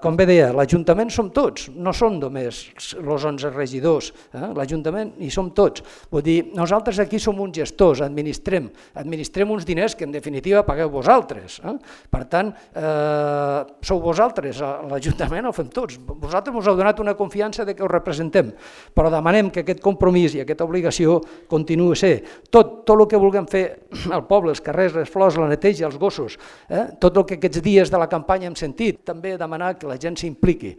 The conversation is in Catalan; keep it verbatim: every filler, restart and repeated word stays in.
com bé deia, l'Ajuntament som tots, no som només els onze regidors, eh? L'Ajuntament hi som tots. Vull dir, nosaltres aquí som uns gestors, administrem, administrem uns diners que en definitiva pagueu vosaltres. Eh? Per tant, eh, sou vosaltres, l'Ajuntament ho fem tots. Vosaltres us heu donat una confiança de que us representem, però demanem que aquest compromís i aquesta obligació continuï a ser. Tot, tot el que vulguem fer al poble, els carrers, les flors, la neteja, els gossos, eh? Tot el que aquests dies de la campanya hem sentit, també demanar que la gent s'impliqui.